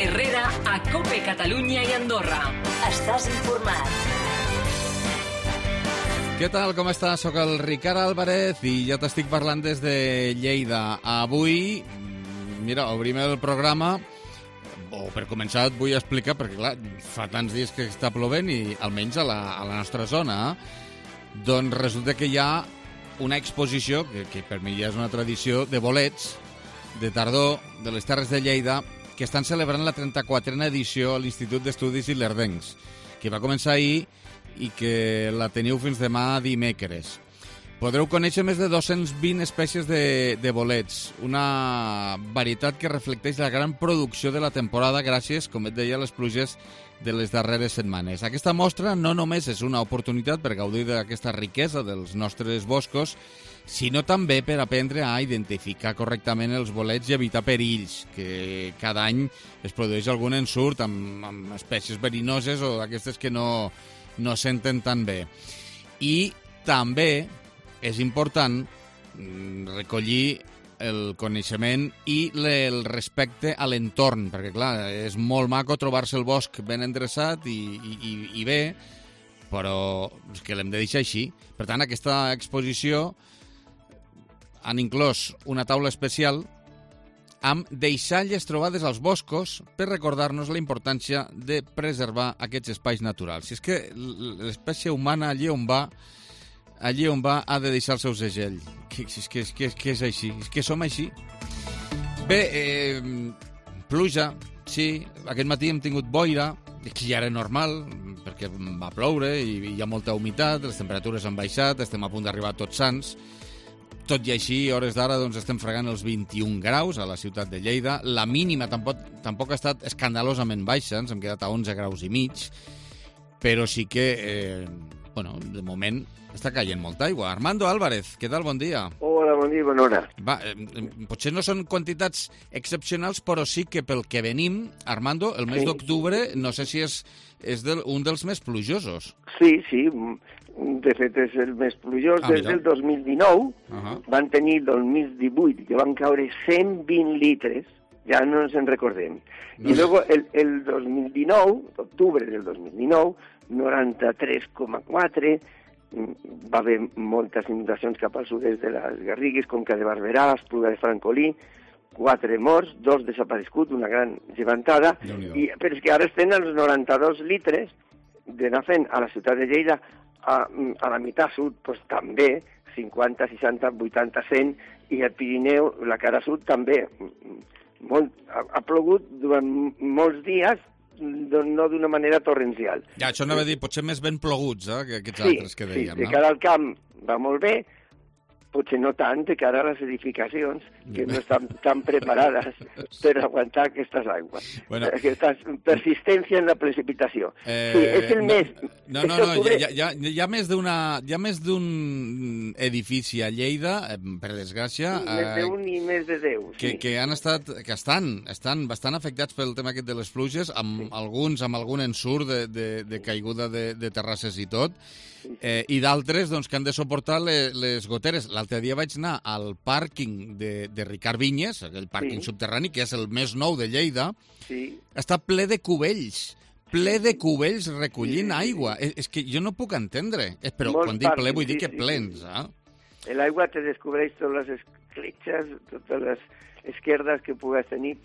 Herrera a COPE Catalunya i Andorra. Estàs informat. Què tal, com estàs? Soc el Ricard Álvarez i ja t'estic parlant des de Lleida. Avui, mira, obrim el programa, o per començar et vull explicar, perquè clar, fa tants dies que està plovent i almenys a la nostra zona, doncs resulta que hi ha una exposició, que per mi ja és una tradició, de bolets de tardor de les Terres de Lleida, que estan celebrant la 34a edició a l'Institut d'Estudis Ilerdencs, que va començar ahir i que la teniu fins demà dimecres. Podreu conèixer més de 220 espècies de bolets, una varietat que reflecteix la gran producció de la temporada gràcies, com et deia, a les pluges de les darreres setmanes. Aquesta mostra no només és una oportunitat per gaudir d'aquesta riquesa dels nostres boscos, sinó també per aprendre a identificar correctament els bolets i evitar perills, que cada any es produeix algun ensurt amb espècies verinoses o d'aquestes que no senten tan bé. I també és important recollir el coneixement i el respecte a l'entorn, perquè, clar, és molt maco trobar-se el bosc ben endreçat i bé, però és que l'hem de deixar així. Per tant, aquesta exposició han inclòs una taula especial amb deixalles trobades als boscos per recordar-nos la importància de preservar aquests espais naturals. Si és que l'espècie humana allí on va ha de deixar el seu segell. Que és així, és que som així. Bé, pluja, sí, aquest matí hem tingut boira, que ja era normal, perquè va ploure i hi ha molta humitat, les temperatures han baixat, estem a punt d'arribar a Tots Sants. Tot i així, a hores d'ara, doncs, estem fregant els 21 graus a la ciutat de Lleida. La mínima tampoc ha estat escandalosament baixa, ens hem quedat a 11 graus i mig, però sí que, de moment està caient molta aigua. Armando Álvarez, què tal? Bon dia. Hola, bon dia, bona hora. Va, potser no són quantitats excepcionals, però sí que pel que venim, Armando, el mes d'octubre, no sé si és un dels més plujosos. Sí, de fet és el més plujós. Des del 2019 van tenir el 2018, que van caure 120 litres, ja no ens en recordem. I luego el 2019, octubre del 2019, 93,4, va haver moltes inundacions cap al sud-est de les Garrigues, Conca de Barberà, Espluga de Francolí, 4 morts, 2 desapareguts, una gran llevantada, però és que ara estem als 92 litres d'anar fent a la ciutat de Lleida, a la meitat sud, doncs també, 50, 60, 80, 100, i al Pirineu, la cara sud, també. Ha plogut durant molts dies, no d'una manera torrencial. Ja, això anava a dir, potser més ben ploguts, que aquests altres que dèiem. Sí, de cara al camp va molt bé, potser no tant de cara a les edificacions, que no estan tan preparades per aguantar aquestes aigües. Aquesta persistència en la precipitació. Sí, és el mes... No, hi ha més d'un edifici a Lleida, per desgràcia... Més d'un i més de 10, sí. Que estan bastant afectats pel tema aquest de les pluges, amb algun ensurt de caiguda de terrasses i tot, i d'altres que han de suportar les goteres. L'altre dia vaig anar al pàrquing de Ricard Vinyes, aquell pàrquing subterrani, que és el més nou de Lleida, està ple de cubells recollint aigua. És que jo no puc entendre, però quan dic ple vull dir que plens. L'aigua te descobreix totes les escletxes, totes les esquerdes que pugues tenir,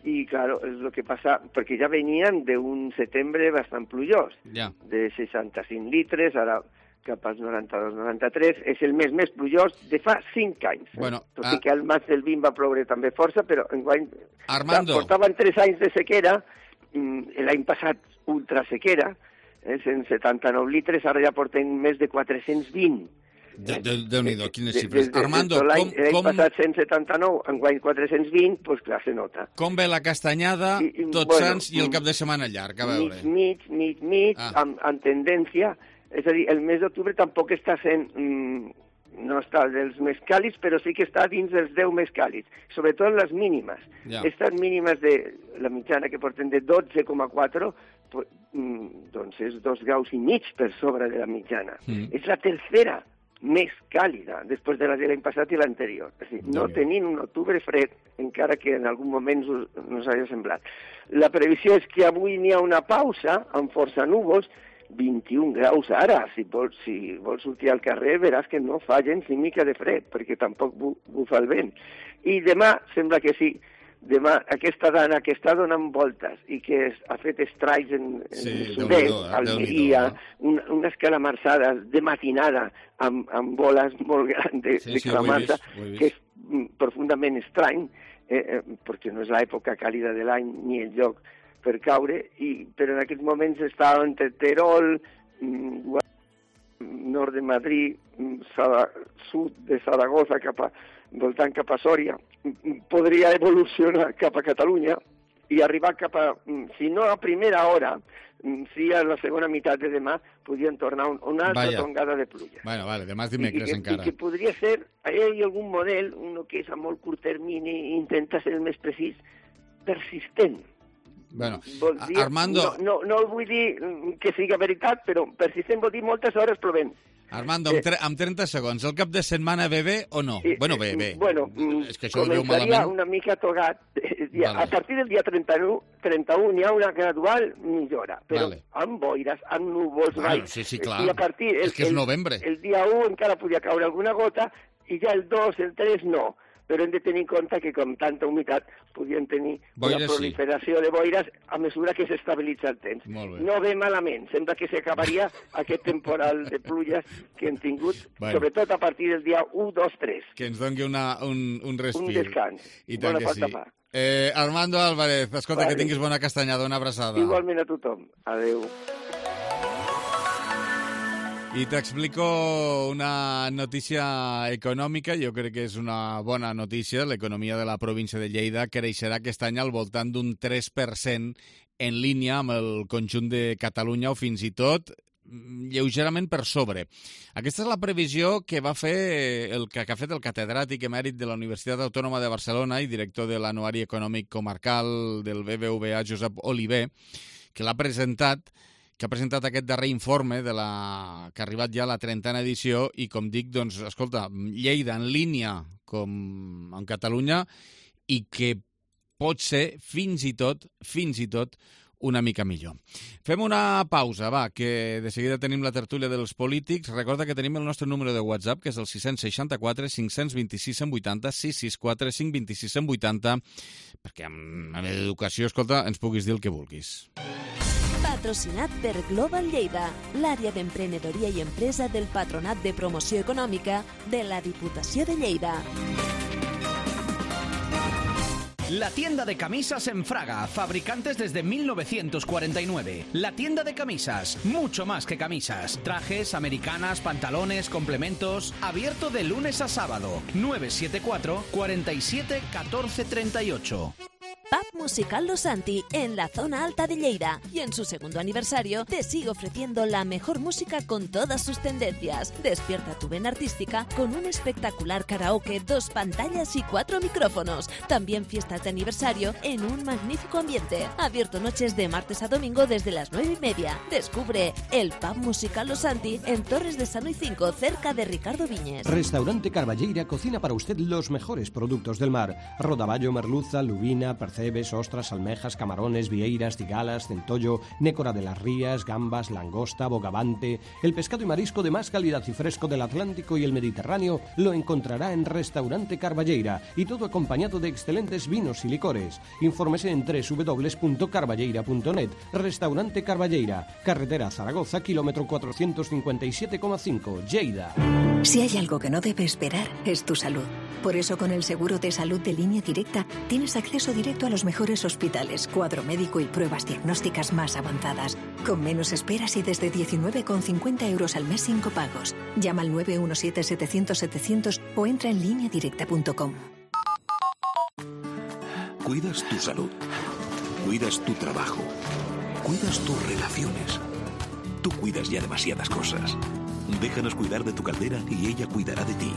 i, claro, és el que passa, perquè ja venien d'un setembre bastant plujós, de 65 litres, ara cap als 92-93, és el mes més plujós de fa 5 anys. Tot i que al maig del 20 va ploure també força, però enguany portaven 3 anys de sequera, l'any passat ultrasequera, 179 litres, ara ja porten més de 420. Déu-n'hi-do, quines xifres. Armando, l'any passat 179, enguany 420, doncs clar, se nota. Com ve la castanyada, Tots Sants i el cap de setmana llarg, a veure? Mig, amb tendència. És a dir, el mes d'octubre tampoc està sent... no està dels més càlids, però sí que està dins dels 10 més càlids, sobretot les mínimes. Aquestes mínimes de la mitjana que porten de 12,4, doncs és 2 graus i mig per sobre de la mitjana. És la tercera més càlida després de la de l'any passat i l'anterior. És a dir, no tenint un octubre fred, encara que en algun moment us hagi semblat. La previsió és que avui n'hi ha una pausa amb força núvols, 21 graus ara. Si vols sortir al carrer veràs que no fa gens ni mica de fred, perquè tampoc bufa el vent. I demà sembla que sí. Demà, aquesta dana que està donant voltes i que ha fet estralls en sud-est, Almeria, unes calamarsades de matinada amb boles molt grans de calamarsa, que és profundament estrany, perquè no és l'època càlida de l'any ni el lloc per caure, però en aquests moments està entre Terol, nord de Madrid, sud de Saragossa, voltant cap a Sòria, podria evolucionar cap a Catalunya i arribar cap a, si no a primera hora, si a la segona meitat de demà podien tornar una altra tongada de pluja. Bueno, vale, demà és dimecres encara. I que podria ser, hi ha algun model, un que és a molt curt termini, intenta ser el més precís, persistent. Bueno, dir, Armando... No vull dir que sigui veritat, però persistent vol dir moltes hores plovent. Armando, amb 30 segons, el cap de setmana ve bé o no? Bueno, bé. Bueno, és que això ho veu malament. Començaria una mica togat. A partir del dia 31 hi ha una gradual millora, però amb boires, amb núvols... Sí, clar. I a partir... És que és novembre. El dia 1 encara podia caure alguna gota i ja el 2, el 3 no. Però hem de tenir en compte que com tanta humitat podien tenir una proliferació de boires a mesura que s'estabilitza el temps. No ve malament, sembla que s'acabaria aquest temporal de pluges que hem tingut, sobretot a partir del dia 1, 2, 3. Que ens doni un respir. Un descans. I tant que sí. Armando Álvarez, escolta, que tinguis bona castanyada, una abraçada. Igualment a tothom. Adéu. I t'explico una notícia econòmica, jo crec que és una bona notícia. L'economia de la província de Lleida creixerà aquest any al voltant d'un 3% en línia amb el conjunt de Catalunya o fins i tot lleugerament per sobre. Aquesta és la previsió que ha fet el catedràtic emèrit de la Universitat Autònoma de Barcelona i director de l'Anuari Econòmic Comarcal del BBVA, Josep Oliver, que ha presentat aquest darrer informe que ha arribat ja a la 30a edició i, com dic, doncs, escolta, Lleida en línia com en Catalunya i que pot ser fins i tot una mica millor. Fem una pausa, va, que de seguida tenim la tertúlia dels polítics. Recorda que tenim el nostre número de WhatsApp, que és el 664 526 180, 664 526 180, perquè amb educació, escolta, ens puguis dir el que vulguis. Patrocinat per Global Lleida, l'àrea d'emprenedoria i empresa del Patronat de Promoció Econòmica de la Diputació de Lleida. La tienda de camisas en Fraga, fabricantes desde 1949. La tienda de camisas, mucho más que camisas. Trajes, americanas, pantalones, complementos. Abierto de lunes a sábado. 974 47 14 38. Pub Musical Los Santi, en la zona alta de Lleida. Y en su segundo aniversario te sigue ofreciendo la mejor música con todas sus tendencias. Despierta tu vena artística con un espectacular karaoke, 2 pantallas y 4 micrófonos. También fiestas de aniversario en un magnífico ambiente. Abierto noches de martes a domingo desde las 9:30. Descubre el Pub Musical Los Santi en Torres de Sanui 5, cerca de Ricardo Viñes. Restaurante Carballeira cocina para usted los mejores productos del mar. Rodaballo, merluza, lubina, percebes, ostras, almejas, camarones, vieiras, cigalas, centollo, nécora de las rías, gambas, langosta, bogavante. El pescado y marisco de más calidad y fresco del Atlántico y el Mediterráneo lo encontrará en Restaurante Carballeira, y todo acompañado de excelentes vinos y licores. Infórmese en www.carballeira.net. Restaurante Carballeira, carretera Zaragoza, kilómetro 457,5, Lleida. Si hay algo que no debe esperar, es tu salud. Por eso, con el seguro de salud de Línea Directa, tienes acceso directo a los mejores hospitales, cuadro médico y pruebas diagnósticas más avanzadas, con menos esperas y desde 19,50 € al mes sin copagos. Llama al 917-700-700 o entra en lineadirecta.com. Cuidas tu salud, cuidas tu trabajo, cuidas tus relaciones. Tú cuidas ya demasiadas cosas. Déjanos cuidar de tu caldera y ella cuidará de ti.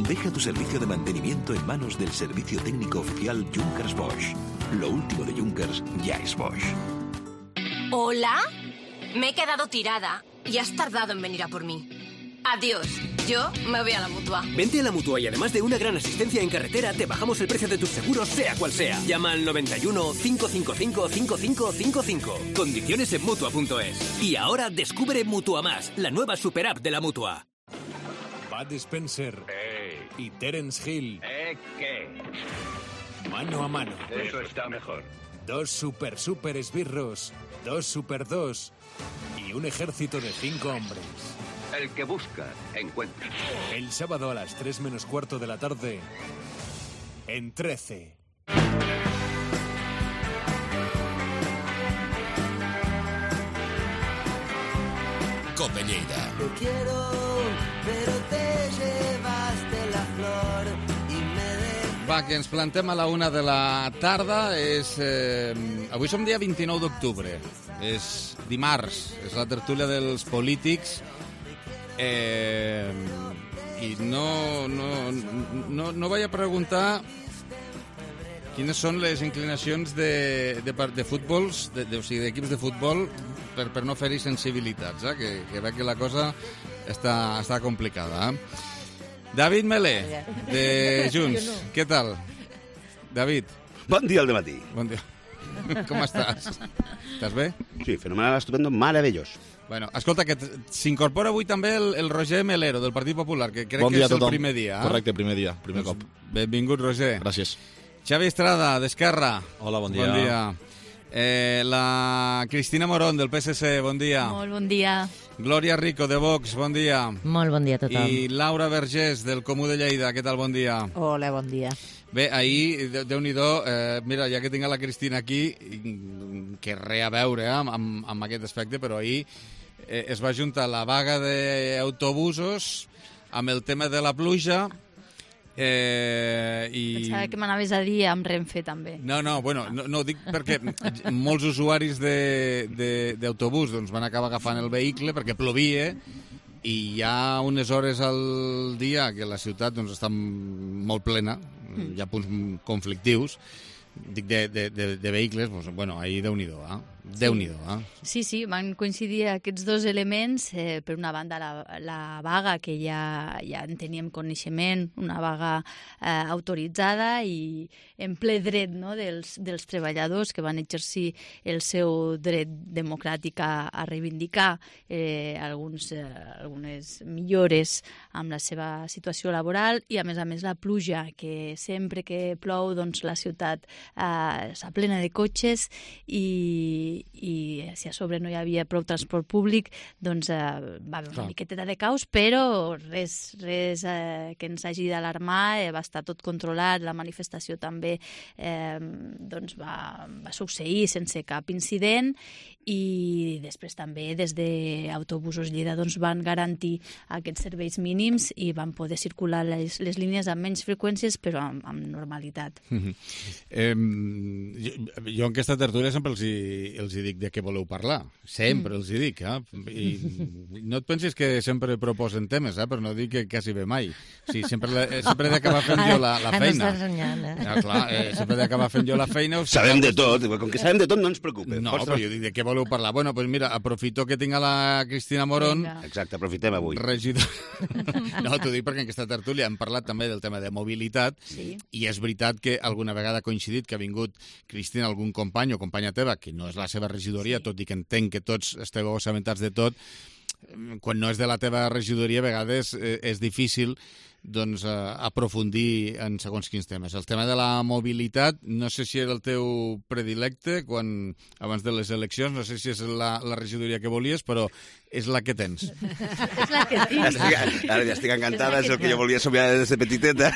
Deja tu servicio de mantenimiento en manos del servicio técnico oficial Junkers Bosch. Lo último de Junkers ya es Bosch. ¿Hola? Me he quedado tirada y has tardado en venir a por mí. Adiós. Yo me voy a la Mutua. Vente a la Mutua y además de una gran asistencia en carretera, te bajamos el precio de tus seguros, sea cual sea. Llama al 91 555 5555. Condiciones en Mutua.es. Y ahora descubre Mutua Más, la nueva super app de la Mutua. Bud Spencer y Terence Hill. ¿Qué? Mano a mano. Eso está mejor. 2 super esbirros, 2 super 2 y un ejército de 5 hombres. El que busca, encuentra. El sábado a las 3 menos cuarto de la tarde, en 13. Cope Lleida. Te quiero, pero te llevaste la flor y me Va, que ens plantem a la 1 de la tarda. Avui som dia 29 d'octubre. És dimarts, és la tertúlia dels polítics. I no vaig a preguntar quines són les inclinacions de futbols, o sigui, d'equips de futbol, per no fer-hi sensibilitats, que veig que la cosa està complicada. David Melé, de Junts, què tal? David. Bon dia al dematí. Bon dia. Com estàs? Estàs bé? Sí, fenomenal, estupendo, meravellós. Bueno, escolta, que s'incorpora avui també el Roger Melero, del Partit Popular, que crec que és el primer dia. Correcte, primer dia, primer cop. Benvingut, Roger. Gràcies. Xavi Estrada, d'Esquerra. Hola, bon dia. Bon dia. La Cristina Morón, del PSC, bon dia. Molt bon dia. Glòria Rico, de Vox, bon dia. Molt bon dia a tothom. I Laura Vergés, del Comú de Lleida, què tal, bon dia? Hola, bon dia. Bé, ahir, Déu-n'hi-do, mira, ja que tinc la Cristina aquí, que res a veure amb aquest aspecte, però ahir es va juntar la vaga d'autobusos amb el tema de la pluja. Pensava que m'anaves a dir amb Renfe també. No, bueno, no ho dic perquè molts usuaris d'autobús doncs, van acabar agafant el vehicle perquè plovia i hi ha unes hores al dia que la ciutat doncs, està molt plena, hi ha punts conflictius, dic de vehicles, doncs, bueno, ahir Déu-n'hi-do, Déu-n'hi-do, Sí, van coincidir aquests dos elements. Per una banda, la vaga, que ja en teníem coneixement, una vaga autoritzada i en ple dret, no, dels treballadors que van exercir el seu dret democràtic a reivindicar algunes millores amb la seva situació laboral i, a més, la pluja, que sempre que plou, doncs, la ciutat està plena de cotxes i si a sobre no hi havia prou transport públic, doncs va haver una miqueteta de caos, però res que ens hagi d'alarmar, va estar tot controlat, la manifestació també doncs va succeir sense cap incident i després també des d'Autobusos Lleida doncs van garantir aquests serveis mínims i van poder circular les línies amb menys freqüències però amb normalitat. Jo en aquesta tertúlia sempre els hi dic de què voleu parlar. Sempre els hi dic. I no et pensis que sempre proposen temes, però no dic que quasi bé mai. O sigui, sempre he d'acabar fent jo la feina. Ara estàs renyant, sempre he d'acabar fent jo la feina. Sabem de tot. Com que sabem de tot, no ens preocupa. No, però jo dic de què voleu parlar. Bueno, doncs mira, aprofito que tinc a la Cristina Morón. Exacte, aprofitem avui. Regidor. No, t'ho dic perquè en aquesta tertúlia hem parlat també del tema de mobilitat i és veritat que alguna vegada ha coincidit que ha vingut Cristina, algun company o companya teva, que no és la seva regidoria, tot i que entenc que tots esteu assabentats de tot, quan no és de la teva regidoria a vegades és difícil doncs, aprofundir en segons quins temes. El tema de la mobilitat, no sé si era el teu predilecte abans de les eleccions, no sé si és la regidoria que volies, però és la que tens. És la que tens. Ara ja estic encantada, és el que jo volia somiar des de petiteta.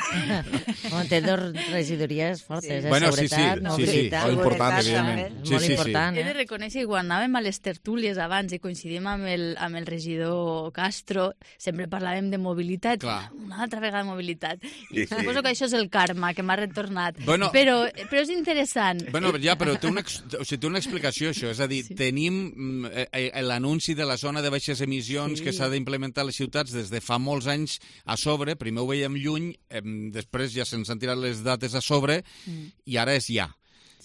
Té dues regidories fortes, bueno, seguretat, mobilitat. Sí, important, evidentment. Molt important. He de reconèixer que quan anàvem a les tertúlies abans i coincidim amb el regidor Castro, sempre parlàvem de mobilitat. Una altra vegada de mobilitat. I suposo que això és el karma que m'ha retornat. Bueno, però és interessant. Bueno, ja, però té una explicació, això. És a dir, tenim l'anunci de la zona de baixes emissions que s'ha d'implementar a les ciutats des de fa molts anys a sobre. Primer ho veiem lluny, després ja se'n han tirat les dates a sobre i ara és ja.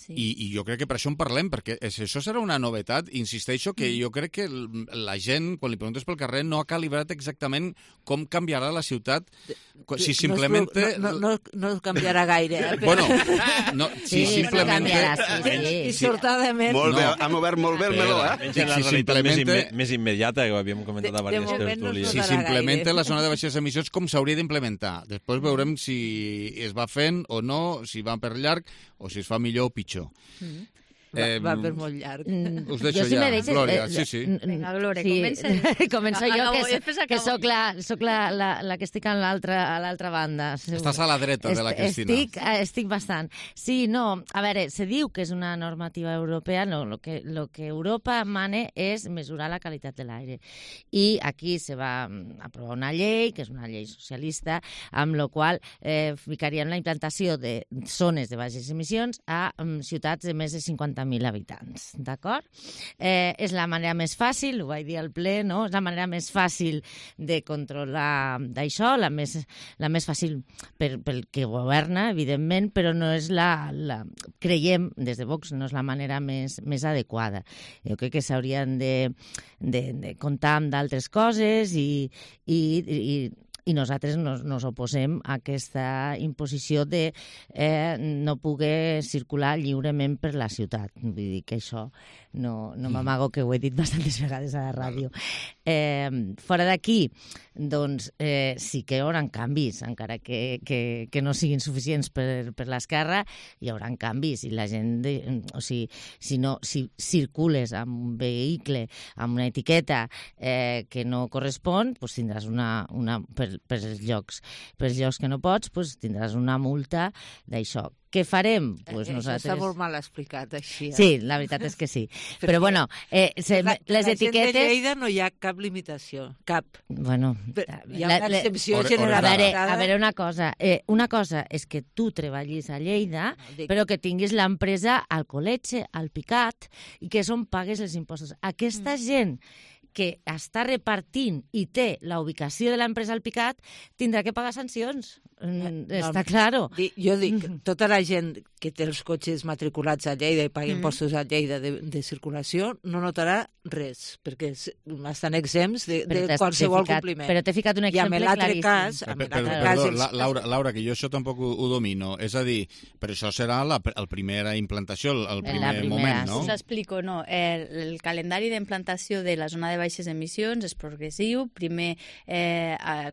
I jo crec que per això en parlem, perquè això serà una novetat. Insisteixo que jo crec que la gent, quan li preguntes pel carrer, no ha calibrat exactament com canviarà la ciutat. Si simplement... No canviarà gaire. Bueno, si simplement... Dissortadament. Molt bé, hem obert molt bé el meló, Menys la realitat més immediata, que ho havíem comentat a diverses tertúlies. Si s'implementa la zona de baixes emissions, com s'hauria d'implementar? Després veurem si es va fent o no, si va per llarg o si es fa millor o pitjor. Va per molt llarg. Us deixo ja, Glòria. Sí. Vinga, Glòria, començo jo, que soc la que estic a l'altra banda. Estàs a la dreta de la Cristina. Estic bastant. Sí, no, a veure, se diu que és una normativa europea, no, lo que Europa mane és mesurar la qualitat de l'aire. I aquí se va aprovar una llei, que és una llei socialista, amb la qual ficaríem la implantació de zones de baixes emissions a ciutats de més de 50.000 habitants, d'acord? És la manera més fàcil, ho vaig dir al ple, no? És la manera més fàcil de controlar d'això, la més fàcil pel que governa, evidentment, però no és creiem, des de Vox, no és la manera més adequada. Jo crec que s'haurien de comptar amb d'altres coses i nosaltres nos oposem a aquesta imposició de no poder circular lliurement per la ciutat. Vull dir que això no m'amago, que ho he dit bastantes vegades a la ràdio. Fora d'aquí, doncs sí que hi haurà canvis, encara que no siguin suficients per l'esquerra, hi haurà canvis. I la gent, si circules amb un vehicle, amb una etiqueta que no correspon, doncs tindràs per els llocs que no pots, doncs tindràs una multa d'això. Què farem? Nosaltres... Està molt mal explicat, així. Sí, la veritat és que sí. Però, bueno, les etiquetes... de Lleida no hi ha cap limitació, cap. Bueno... Hi ha una excepció generalitzada. A veure, una cosa. Una cosa és que tu treballis a Lleida, però que tinguis l'empresa al Col·letge, al Picat, i que és on pagues els impostos. Aquesta gent que està repartint i té la ubicació de l'empresa al Picat tindrà que pagar sancions. Està claro. Jo dic, tota la gent que té els cotxes matriculats a Lleida i paga impostos a Lleida de circulació no notarà res, perquè estan exempts de qualsevol compliment. Però t'he ficat un exemple claríssim. Perdó, Laura, que jo això tampoc ho domino. És a dir, però això serà la primera implantació, el primer moment, no? Us explico, no. El calendari d'implantació de la zona de baixes emissions és progressiu. Primer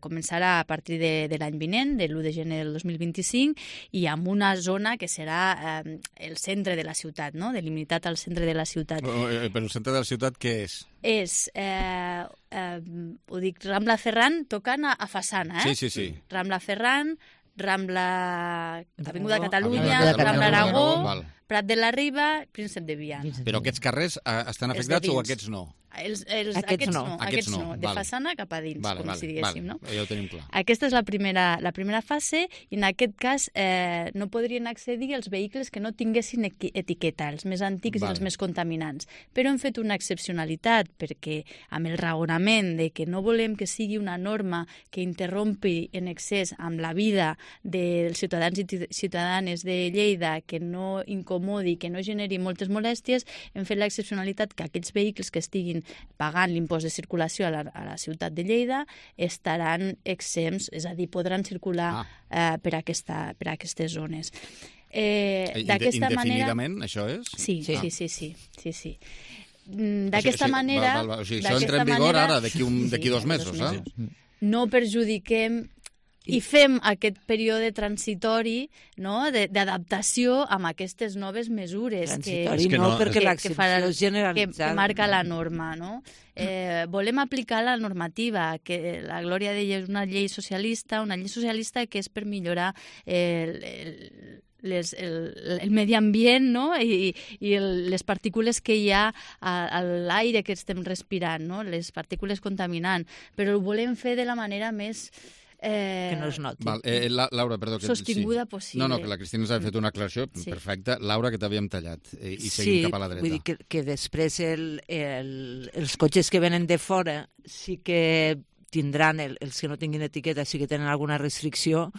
començarà a partir de l'any vinent, de l'1 de gener del 2025, i amb una zona que serà el centre de la ciutat, no? Delimitat al centre de la ciutat. Però el centre de la ciutat què és? És, ho dic, Rambla Ferran tocant a façana, Sí. Rambla Ferran, Avinguda Catalunya, Rambla Aragó, Prat de la Riba, Príncep de Viana. Però aquests carrers estan afectats o aquests no? Aquests no. De façana cap a dins, com si diguéssim, no? Ja ho tenim clar. Aquesta és la primera fase, i en aquest cas no podrien accedir els vehicles que no tinguessin etiqueta, els més antics i els més contaminants. Però hem fet una excepcionalitat, perquè amb el raonament de que no volem que sigui una norma que interrompi en excés amb la vida dels ciutadans i ciutadanes de Lleida, que no incomodi, que no generi moltes molèsties, hem fet l'excepcionalitat que aquells vehicles que estiguin pagant l'impost de circulació a la ciutat de Lleida estaran exempts, és a dir, podran circular per aquestes zones. Indefinidament, això és? Sí. D'aquesta manera... O sigui, això entra en vigor ara, d'aquí 2 mesos, No perjudiquem i fem aquest període transitori, no?, d'adaptació amb aquestes noves mesures perquè l'excepció generalitzada que marca la norma, no? Volem aplicar la normativa, que la Glòria deia és una llei socialista que és per millorar el medi ambient, no? I les partícules que hi ha a l'aire que estem respirant, no? Les partícules contaminants, però ho volem fer de la manera més que no es noti. Laura, perdó. Sostinguda possible. No, que la Cristina ens ha fet una aclaració perfecta. Laura, que t'havíem tallat i seguim cap a la dreta. Vull dir que després els cotxes que venen de fora sí que tindran, els que no tinguin etiqueta sí que tenen alguna restricció,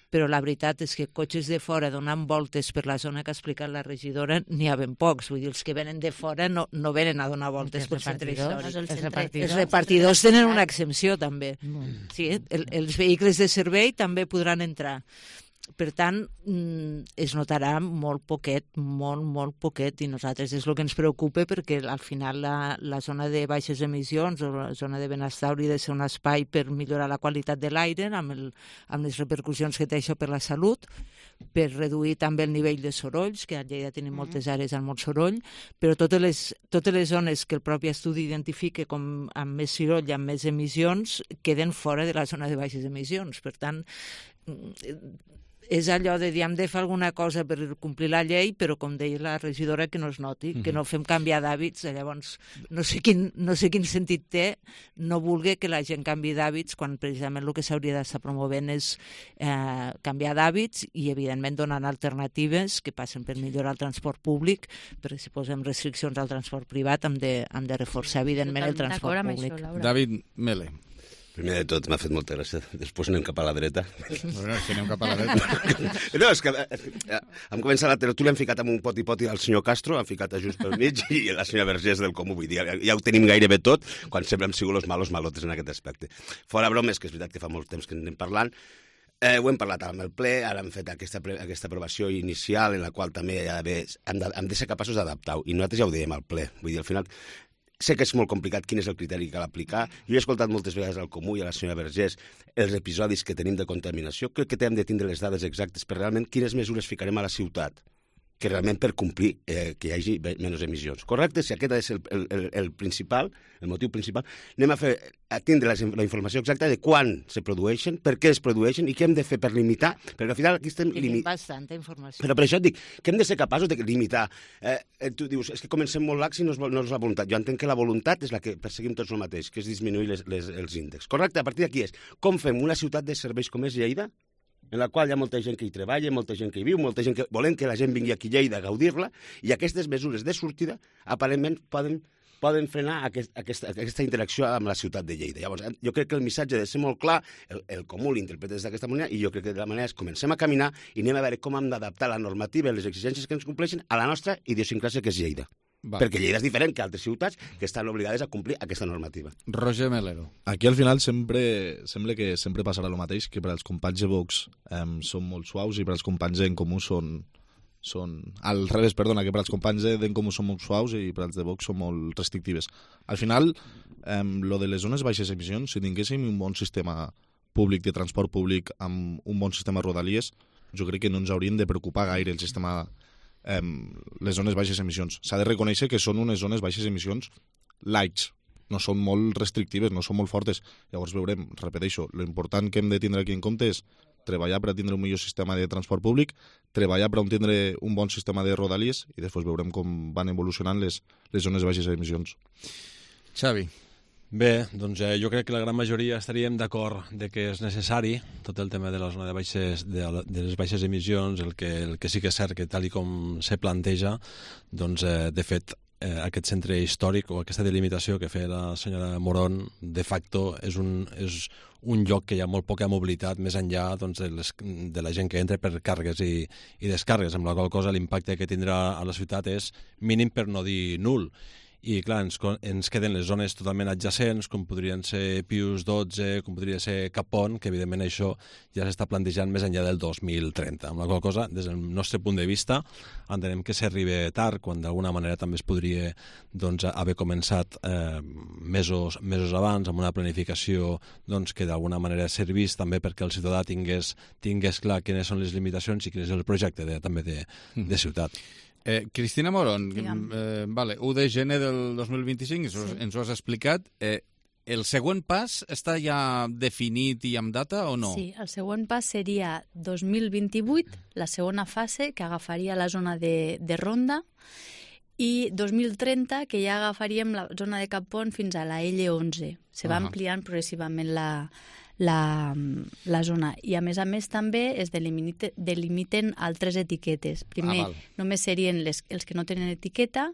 però la veritat és que cotxes de fora donant voltes per la zona que ha explicat la regidora n'hi ha ben pocs, vull dir, els que venen de fora no venen a donar voltes pel centre històric. Els repartidors tenen una exempció també. Sí, els vehicles de servei també podran entrar. Per tant, es notarà molt poquet, molt poquet, i nosaltres és el que ens preocupa, perquè al final la zona de baixes emissions o la zona de benestar hauria de ser un espai per millorar la qualitat de l'aire, amb les repercussions que té això per la salut, per reduir també el nivell de sorolls, que a Lleida tenim moltes àrees amb molt soroll, però totes les zones que el propi estudi identifica com amb més soroll i amb més emissions queden fora de la zona de baixes emissions. Per tant, és allò de dir, hem de fer alguna cosa per complir la llei, però com deia la regidora, que no es noti, que no fem canviar d'hàbits. Llavors, no sé quin sentit té no voler que la gent canvi d'hàbits quan precisament el que s'hauria d'estar promovent és canviar d'hàbits i, evidentment, donant alternatives que passen per millorar el transport públic, perquè si posem restriccions al transport privat hem de reforçar, evidentment, el transport públic. David Mele. Primer de tot, m'ha fet molta gràcia. Després anem cap a la dreta. Bueno, si anem cap a la dreta. No, és que hem començat la tertúlia, hem ficat amb un poti-poti al senyor Castro, hem ficat a just pel mig, i la senyora Vergés del Comú. Vull dir, ja ho tenim gairebé tot, quan sempre hem sigut los malos malotes en aquest aspecte. Fora bromes, que és veritat que fa molt temps que en anem parlant, ho hem parlat amb el ple, ara hem fet aquesta aprovació inicial, en la qual també hem de ser capaços d'adaptar-ho, i nosaltres ja ho dèiem al ple. Vull dir, al final, sé que és molt complicat quin és el criteri que cal aplicar. Jo he escoltat moltes vegades al Comú i a la senyora Vergés els episodis que tenim de contaminació. Crec que hem de tindre les dades exactes per realment quines mesures ficarem a la ciutat que realment per complir que hi hagi menys emissions. Correcte? Si aquest és el principal, el motiu principal, anem a tindre la informació exacta de quan se produeixen, per què es produeixen i què hem de fer per limitar, perquè al final aquí estem limitant. Bastanta informació. Però per això et dic que hem de ser capaços de limitar. Tu dius, és que comencem molt lax i no és la voluntat. Jo entenc que la voluntat és la que perseguim tots el mateix, que és disminuir els índexs. Correcte? A partir d'aquí és com fem una ciutat de serveis com és Lleida, en la qual hi ha molta gent que hi treballa, molta gent que hi viu, molta gent que volem que la gent vingui aquí a Lleida a gaudir-la, i aquestes mesures de sortida aparentment poden frenar aquesta interacció amb la ciutat de Lleida. Llavors, jo crec que el missatge ha de ser molt clar, el Comú l'interpreta d'aquesta manera, i jo crec que de la manera és comencem a caminar i anem a veure com hem d'adaptar la normativa i les exigències que ens compleixen a la nostra idiosincràsia, que és Lleida. Perquè Lleida és diferent que altres ciutats que estan obligades a complir aquesta normativa. Roger Melero. Aquí al final sembla que sempre passarà el mateix, que per als companys de Vox són molt suaus i per als companys d'en Comú són al revés, perdona, que per als companys d'en Comú són molt suaus i per als de Vox són molt restrictives. Al final, lo de les zones baixes emissions, si tinguéssim un bon sistema públic de transport públic amb un bon sistema de rodalies, jo crec que no ens haurien de preocupar gaire el sistema les zones baixes emissions. S'ha de reconèixer que són unes zones baixes emissions lights, no són molt restrictives, no són molt fortes. Llavors veurem, repeteixo, l'important que hem de tindre aquí en compte és treballar per a tindre un millor sistema de transport públic, treballar per a tindre un bon sistema de rodalies i després veurem com van evolucionant les zones baixes emissions. Xavi. Bé, doncs jo crec que la gran majoria estaríem d'acord de que és necessari tot el tema de la zona de les baixes emissions, el que sí que és cert que tal com se planteja, doncs de fet aquest centre històric o aquesta delimitació que feia la senyora Morón de facto és un lloc que hi ha molt poca mobilitat més enllà doncs, de la gent que entra per càrregues i descàrregues, amb la qual cosa l'impacte que tindrà a la ciutat és mínim per no dir nul. I clar, ens queden les zones totalment adjacents, com podrien ser Pius XII, com podria ser Capon, que evidentment això ja s'està plantejant més enllà del 2030. Amb la qual cosa, des del nostre punt de vista, entenem que s'arriba tard, quan d'alguna manera també es podria haver començat mesos abans, amb una planificació que d'alguna manera servís també perquè el ciutadà tingués clar quines són les limitacions i quin és el projecte també de ciutat. Cristina Morón, 1 de gener del 2025, ens ho has explicat. El següent pas està ja definit i amb data o no? Sí, el següent pas seria 2028, la segona fase, que agafaria la zona de Ronda, i 2030, que ja agafaríem la zona de Capon fins a la L11. Se va ampliant progressivament la zona. I a més també es delimiten altres etiquetes. Primer només serien els que no tenen etiqueta,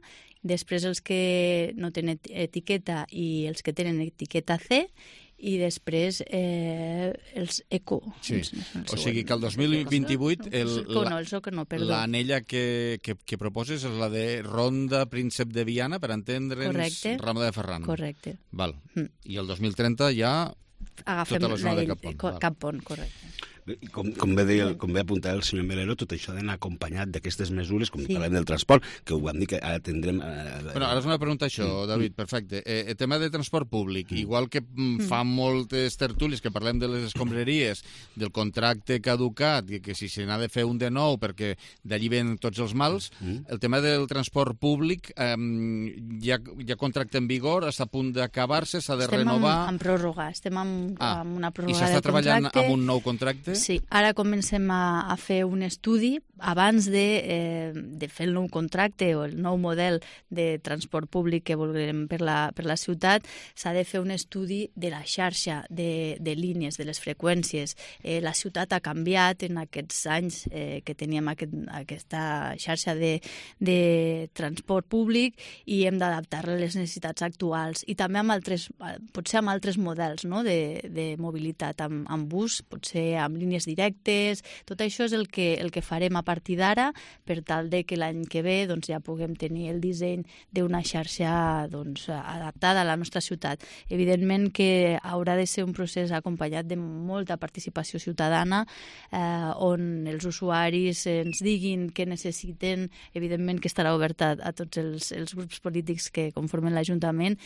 després els que no tenen etiqueta i els que tenen etiqueta C, i després els eco. Sí, o sigui que el 2028 l'anella que proposes és la de Ronda Príncep de Viana, per entendre'ns, Rambla de Ferran. Correcte. Val. I el 2030 ja agafem tota la zona de Cap Pont, correcte. Com bé apuntar el senyor Melero, tot això ha d'anar acompanyat d'aquestes mesures, com parlem del transport, que ho vam dir que ara tindrem... Bueno, ara és una pregunta això, David, perfecte. El tema de transport públic, igual que fa moltes tertúlies que parlem de les escombraries, del contracte caducat, i que si se n'ha de fer un de nou perquè d'allí ven tots els mals, el tema del transport públic hi ha contracte en vigor, està a punt d'acabar-se, s'ha de renovar... Estem en pròrroga, estem amb una pròrroga de contracte. I s'està treballant amb un nou contracte? Sí, ara comencem a fer un estudi abans de fer el nou contracte o el nou model de transport públic que volem per la ciutat. S'ha de fer un estudi de la xarxa de línies, de les freqüències. La ciutat ha canviat en aquests anys que teníem aquesta xarxa de transport públic i hem d'adaptar-la a les necessitats actuals i també potser amb altres models, no? de mobilitat, amb bus, potser amb línies directes. Tot això és el que farem a partir d'ara per tal de que l'any que ve ja puguem tenir el disseny d'una xarxa adaptada a la nostra ciutat. Evidentment que haurà de ser un procés acompanyat de molta participació ciutadana on els usuaris ens diguin què necessiten, evidentment que estarà oberta a tots els grups polítics que conformen l'Ajuntament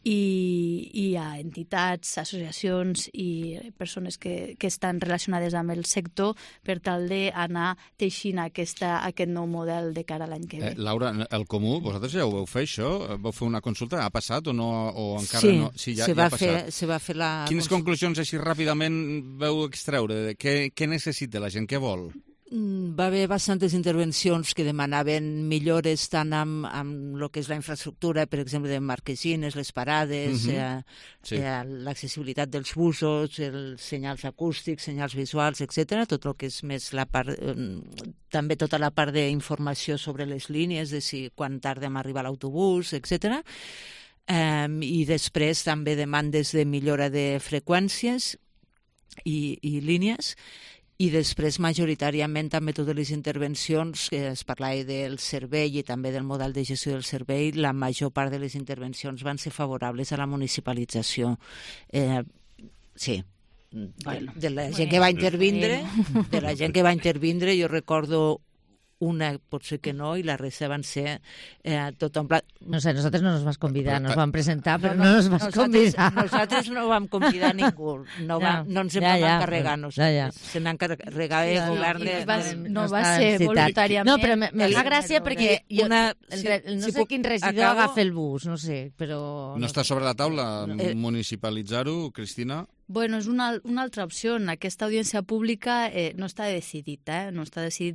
i a entitats, associacions i persones que estan relacionades amb el sector per tal d'anar teixint aquest nou model de cara a l'any que ve. Laura, el Comú, vosaltres ja ho vau fer, això? Vau fer una consulta? Ha passat o no? O encara no? Sí, ja ha passat. Se va fer la... Quines conclusions així ràpidament vau extreure? Què necessita la gent? Què vol? Va haver bastantes intervencions que demanaven millores tant amb el que és la infraestructura, per exemple, de marquesines, les parades, l'accessibilitat dels busos, els senyals acústics, senyals visuals, etc. Tot el que és més la part... també tota la part d'informació sobre les línies, de si quan tardem a arribar a l'autobús, etc. I després també demandes de millora de freqüències i línies. I després, majoritàriament, també totes les intervencions, que es parlava del servei i també del model de gestió del servei, la major part de les intervencions van ser favorables a la municipalització. Sí, de la gent que va intervindre, jo recordo una potser que no, i la resta van ser tot en pla... No sé, nosotros no nos vas convidar, nos van presentar, però no nos vas convidar. Nosaltres no vam convidar ningú, no ens en vam encarregar, se n'encarregava el govern de... No va ser voluntàriament. No, però me fa gràcia perquè no sé quin regidor agafa el bus, no sé, però... No està sobre la taula municipalitzar-ho, Cristina? Bueno, és una altra opció. Aquesta audiència pública no està decidit,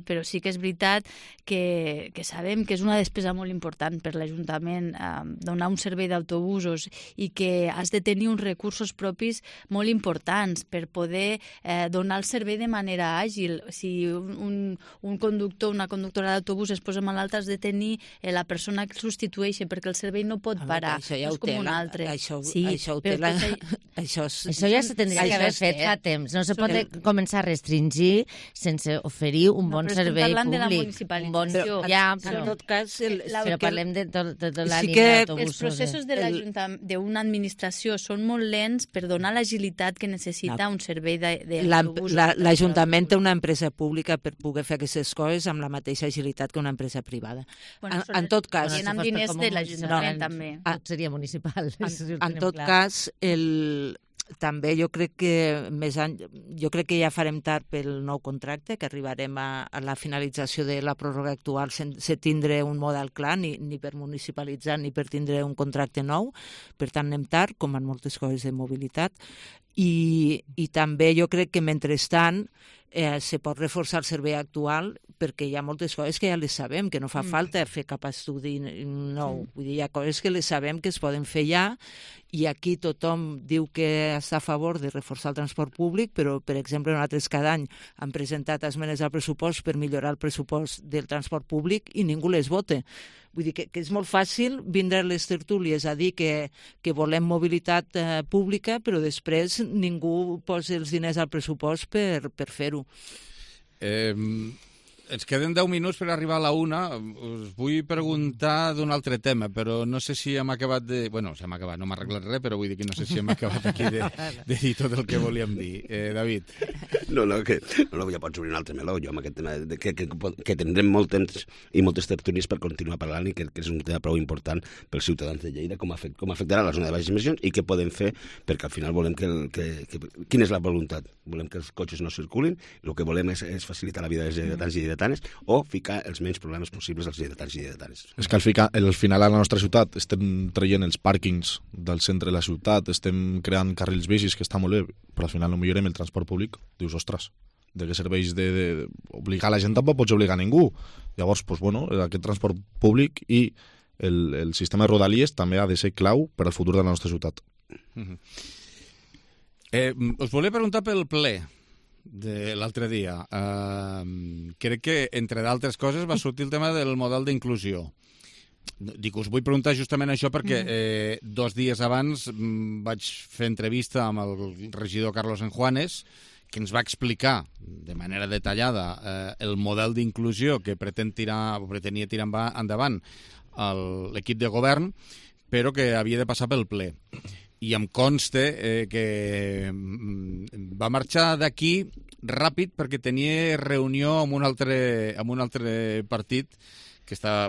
però sí que és veritat que sabem que és una despesa molt important per l'Ajuntament donar un servei d'autobusos i que has de tenir uns recursos propis molt importants per poder donar el servei de manera àgil. Si un conductor, una conductora d'autobús es posa malalt, has de tenir la persona que el substitueix perquè el servei no pot parar. Això ja ho té. Això ja se tindria que haver fet fa temps. No se pot començar a restringir sense oferir un bon servei públic. De la municipalització. En tot cas... Però parlem de la línia d'autobusos. Els processos d'una administració són molt lents per donar l'agilitat que necessita un servei d'autobusos. L'Ajuntament té una empresa pública per poder fer aquestes coses amb la mateixa agilitat que una empresa privada. En tot cas... Amb diners de l'Ajuntament, també. Seria municipal. En tot cas, també jo crec que ja farem tard pel nou contracte, que arribarem a la finalització de la pròrroga actual sense tindre un model clar, ni per municipalitzar ni per tindre un contracte nou. Per tant, anem tard, com en moltes coses de mobilitat. I també jo crec que mentrestant se pot reforçar el servei actual perquè hi ha moltes coses que ja les sabem, que no fa falta fer cap estudi nou. Vull dir, hi ha coses que les sabem que es poden fer ja, i aquí tothom diu que està a favor de reforçar el transport públic, però, per exemple, nosaltres cada any hem presentat esmenes al pressupost per millorar el pressupost del transport públic i ningú les vota. Vull dir que és molt fàcil vindre a les tertúlies a dir que volem mobilitat pública, però després ningú posa els diners al pressupost per fer-ho. Ens queden 10 minuts per arribar a la 1. Us vull preguntar d'un altre tema, però no sé si hem acabat de... Bueno, si hem acabat, no m'ha arreglat res, però vull dir que no sé si hem acabat aquí de dir tot el que volíem dir. David. No, ja pots obrir un altre meló. Jo amb aquest tema que tindrem molt temps i moltes tertúlies per continuar parlant i que és un tema prou important pels ciutadans de Lleida, com afectarà la zona de baixes emissions i què podem fer, perquè al final volem quina és la voluntat? Volem que els cotxes no circulin, el que volem és facilitar la vida dels lleidatans i lleidatanes o ficar els menys problemes possibles als lleidatans i lleidatanes. És que al final a la nostra ciutat estem traient els pàrquings del centre de la ciutat, estem creant carrils bicis, que està molt bé, però al final no millorem el transport públic. Dius, ostres, de què serveix d'obligar la gent? Tampoc pots obligar a ningú. Llavors, aquest transport públic i el sistema de rodalies també ha de ser clau per al futur de la nostra ciutat. Us volia preguntar pel ple de l'altre dia. Crec que, entre d'altres coses, va sortir el tema del model d'inclusió. Us vull preguntar justament això perquè 2 dies abans vaig fer entrevista amb el regidor Carlos Enjuanes, que ens va explicar de manera detallada el model d'inclusió que pretenia tirar endavant l'equip de govern, però que havia de passar pel ple. I em consta que va marxar d'aquí ràpid perquè tenia reunió amb un altre partit que està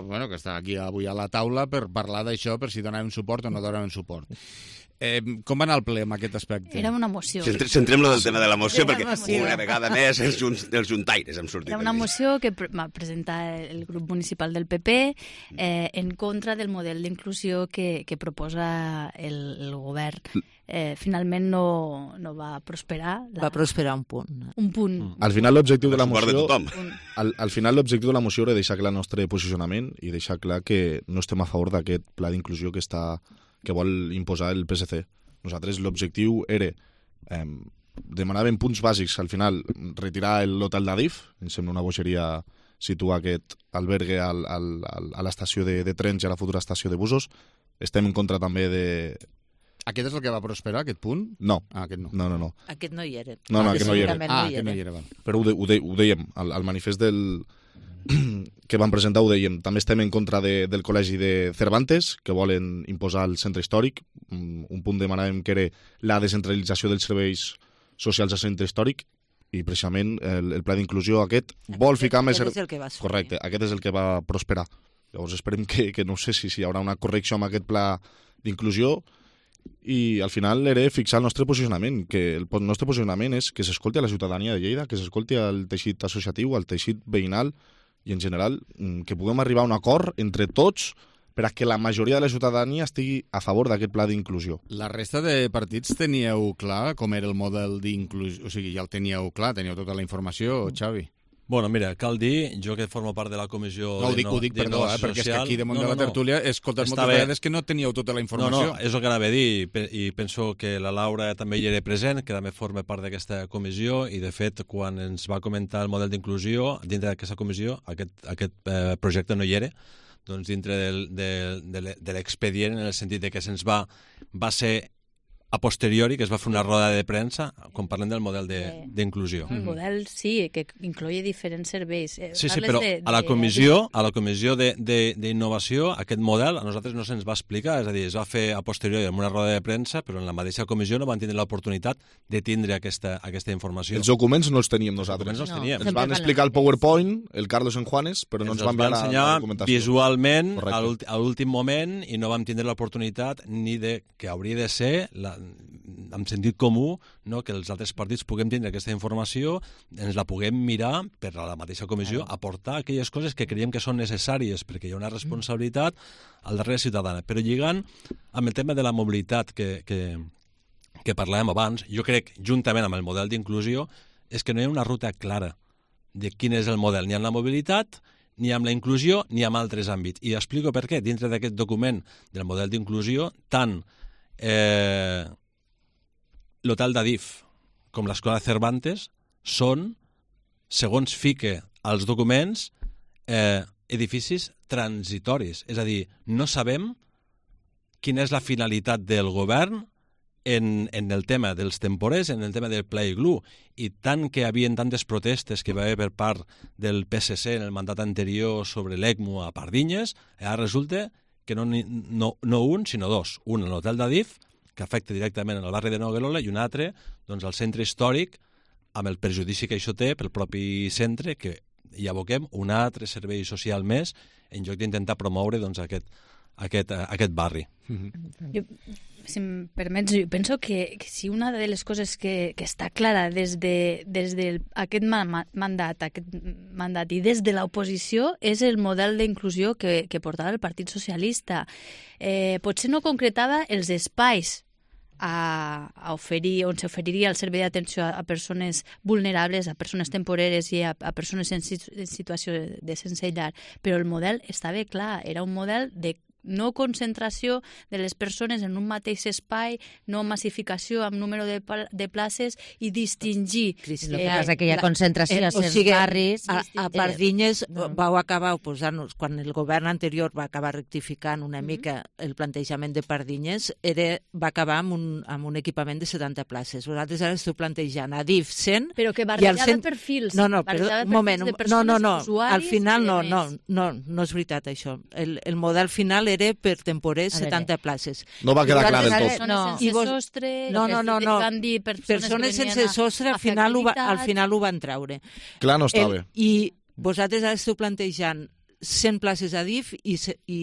aquí avui a la taula per parlar d'això, per si donaven suport o no donaven suport. Com va anar el ple en aquest aspecte? Era una moció. Centrem-lo del tema de la moció, perquè una vegada més els juntaires hem sortit. Era una moció que va presentar el grup municipal del PP en contra del model d'inclusió que proposa el govern. Finalment no va prosperar. Va prosperar un punt. Un punt. Al final l'objectiu de la moció... Al final l'objectiu de la moció era deixar clar el nostre posicionament i deixar clar que no estem a favor d'aquest pla d'inclusió que vol imposar el PSC. Nosaltres l'objectiu era demanàvem punts bàsics, al final retirar l'hotel d'Adif, em sembla una bogeria situar aquest albergue a l'estació de trens i a la futura estació de busos. Estem en contra també de... Aquest és el que va prosperar, aquest punt? No. Aquest no. No. Aquest no hi era. No, aquest no hi era. Aquest no hi era. Però ho dèiem, al manifest que van presentar ho dèiem. També estem en contra del col·legi de Cervantes, que volen imposar el centre històric. Un punt demanàvem que era la descentralització dels serveis socials al centre històric, i precisament el pla d'inclusió aquest vol ficar més... Aquest és el que va sortir. Correcte, aquest és el que va prosperar. Llavors esperem que no sé si hi haurà una correcció amb aquest pla d'inclusió, i al final era fixar el nostre posicionament, que el nostre posicionament és que s'escolti a la ciutadania de Lleida, que s'escolti al teixit associatiu, al teixit veïnal, i en general que puguem arribar a un acord entre tots per a que la majoria de la ciutadania estigui a favor d'aquest pla d'inclusió. La resta de partits teníeu clar com era el model d'inclusió? O sigui, ja el teníeu clar, teníeu tota la informació, Xavi? Bueno, mira, cal dir, jo que formo part de la comissió... No, ho dic, perdó, perquè és que aquí damunt de la tertúlia he escoltat moltes vegades que no teníeu tota la informació. No, és el que anava a dir, i penso que la Laura també hi era present, que també forma part d'aquesta comissió, i de fet, quan ens va comentar el model d'inclusió, dintre d'aquesta comissió, aquest projecte no hi era, doncs dintre de l'expedient, en el sentit de que se'ns va ser a posteriori, que es va fer una roda de premsa quan parlem del model d'inclusió. El model sí, que incloïa diferents serveis. Sí, però a la comissió d'innovació, aquest model a nosaltres no se'ns va explicar, és a dir, es va fer a posteriori amb una roda de premsa, però en la mateixa comissió no van tindre l'oportunitat de tindre aquesta informació. Els documents no els teníem nosaltres. Ens van explicar el PowerPoint, el Carlos Enjuanes, però no ens van ensenyar la documentació visualment a l'últim moment, i no vam tindre l'oportunitat ni de que hauria de ser amb sentit comú, no, que els altres partits puguem tindre aquesta informació, ens la puguem mirar per a la mateixa comissió, aportar aquelles coses que creiem que són necessàries, perquè hi ha una responsabilitat al darrere ciutadana. Però lligant amb el tema de la mobilitat que parlàvem abans, jo crec, juntament amb el model d'inclusió, és que no hi ha una ruta clara de quin és el model, ni amb la mobilitat, ni amb la inclusió, ni amb altres àmbits. I explico per què. Dintre d'aquest document del model d'inclusió, tant l'hotel d'Adif com l'escola Cervantes són, segons fique als documents, edificis transitoris. És a dir, no sabem quina és la finalitat del govern en el tema dels temporers, en el tema del Pla Iglú, i tant que hi havia tantes protestes que va haver per part del PSC en el mandat anterior sobre l'ECMO a Pardinyes, ara resulta que no un, sinó dos. Un en l'hotel d'Adif, que afecta directament el barri de Noguerola, i un altre doncs, al centre històric, amb el perjudici que això té pel propi centre, que hi aboquem un altre servei social més en lloc d'intentar promoure doncs, aquest barri. Jo, si em permets, jo penso que si una de les coses que està clara des d'aquest mandat i des de l'oposició és el model d'inclusió que portava el Partit Socialista. Potser no concretava els espais a oferir, on s'oferiria el servei d'atenció a persones vulnerables, a persones temporeres i a persones en situació de sense llar, però el model estava clar, era un model de no concentració de les persones en un mateix espai, no massificació amb número de places i distingir. El que passa que hi ha concentració a certs barris. A Pardinyes vau acabar oposant-nos, quan el govern anterior va acabar rectificant una mica el plantejament de Pardinyes, va acabar amb un equipament de 70 places. Vosaltres ara esteu plantejant a DIF 100... Però que barrejava perfils. No, un moment. No, al final no és veritat això. El model final era per temporers 70 places. No va quedar clar del tot. No. Persones sense sostre al final ho van treure. Clar no estava. I vosaltres ara esteu plantejant 100 places a DIF i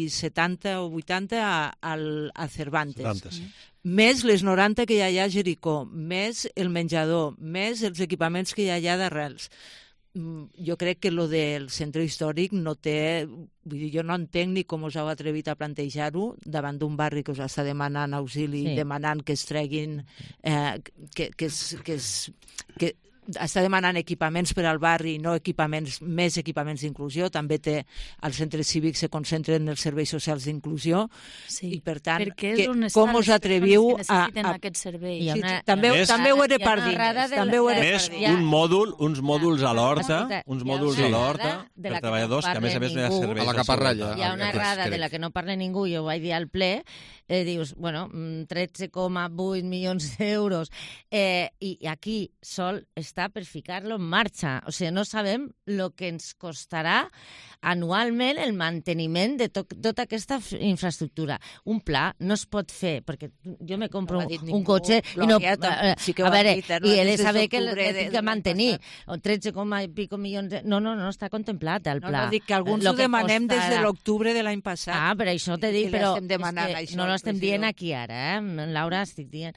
70 o 80 a Cervantes. Més les 90 que hi ha a Jericó, més el menjador, més els equipaments que hi ha d'arrels. Jo crec que lo del centre històric no té... Vull dir, jo no entenc ni com us heu atrevit a plantejar-ho davant d'un barri que us està demanant auxili, demanant que es treguin... que està demanant equipaments per al barri, no més equipaments d'inclusió. També té els centres cívics se concentren en els serveis socials d'inclusió i per tant, com us atreviu a aquest servei? També ho he de Pardinyes. Uns mòduls a l'horta, per treballadors, que a més no hi ha serveis. A la Caparralla. Hi ha una errada de la que no parla ningú, jo ho vaig dir al ple, dius, 13,8 milions d'euros, i aquí sol està per ficar-lo en marxa. O sigui, no sabem el que ens costarà anualment el manteniment de tota aquesta infraestructura. Un pla no es pot fer, perquè jo me compro un cotxe i no... A veure, i he de saber que l'he de mantenir. 13 i pico milions... No està contemplat el pla. No, dic que alguns ho demanem des de l'octubre de l'any passat. Ah, per això t'he dit, però no l'estem dient aquí ara, Laura, estic dient.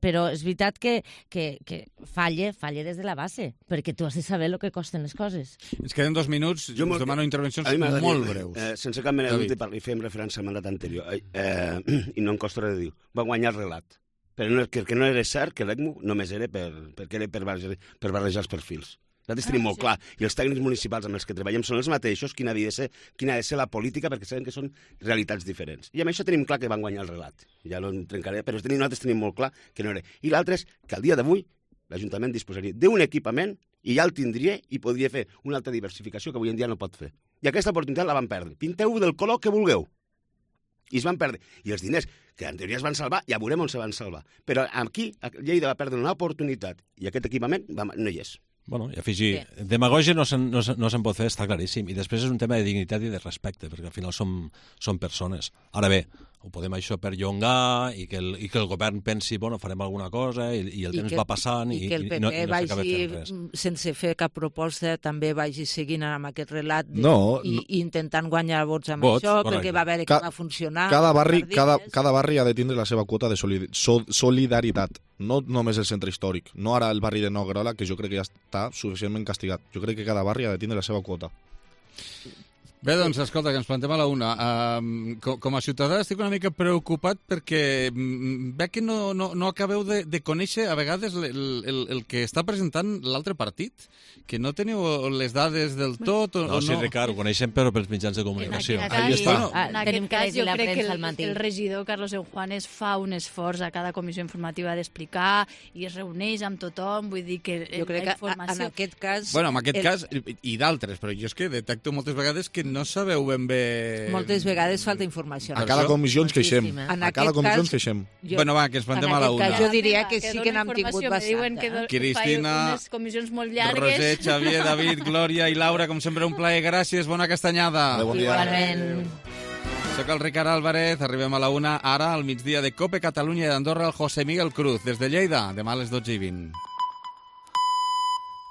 Però és veritat que falle des de la base, perquè tu has de saber el que costen les coses. Ens queden 2 minuts, us demano intervencions molt breus. Sense cap mena de dubte, i fem referència al mandat anterior, i no em costa res de dir, va guanyar el relat. Però que no era cert que l'ECMO només era per barrejar els perfils. Nosaltres tenim molt clar, i els tècnics municipals amb els que treballem són els mateixos, quina ha de ser la política, perquè sabem que són realitats diferents. I amb això tenim clar que van guanyar el relat. Ja no en trencaré, però nosaltres tenim molt clar que no era. I l'altre és que al dia d'avui l'Ajuntament disposaria d'un equipament i ja el tindria i podria fer una altra diversificació que avui en dia no pot fer. I aquesta oportunitat la van perdre. Pinteu del color que vulgueu. I es van perdre. I els diners que en teoria es van salvar, ja veurem on se van salvar. Però aquí Lleida va perdre una oportunitat i aquest equipament no hi és. Bueno, i afegir, demagògia no se'n pot fer, està claríssim. I després és un tema de dignitat i de respecte, perquè al final som persones. Ara bé, ho podem això perllongar i que el govern pensi, farem alguna cosa i el temps va passant i que el PP vagi, sense fer cap proposta, també vagi seguint amb aquest relat i intentant guanyar vots amb això, perquè va veure que va funcionar. Cada barri ha de tindre la seva quota de solidaritat. No només el centre històric, no ara el barri de Noguerola, que jo crec que ja està suficientment castigat. Jo crec que cada barri ha de tindre la seva quota. Bé, doncs, escolta, que ens plantem a la una. Com a ciutadà estic una mica preocupat perquè veig que no acabeu de conèixer a vegades el que està presentant l'altre partit, que no teniu les dades del tot o no. Sí, Ricard, ho coneixem però pels mitjans de comunicació. En aquest cas, jo crec que el regidor Carlos Eujuanes fa un esforç a cada comissió informativa d'explicar i es reuneix amb tothom, vull dir que jo crec que en aquest cas... Bueno, en aquest cas i d'altres, però jo és que detecto moltes vegades que no sabeu ben bé... Moltes vegades falta informació. A cada comissió ens queixem. A cada comissió ens queixem. Bueno, va, que ens plantem a la una. En aquest cas jo diria que sí que n'hem tingut bastant. Cristina, unes comissions molt llargues. Roser, Xavier, David, Glòria i Laura, com sempre un plaer. Gràcies, bona castanyada. Igualment. Soc el Ricard Álvarez, arribem a la una. Ara, al migdia de COPE Catalunya i d'Andorra, el José Miguel Cruz. Des de Lleida, demà a les 12:20.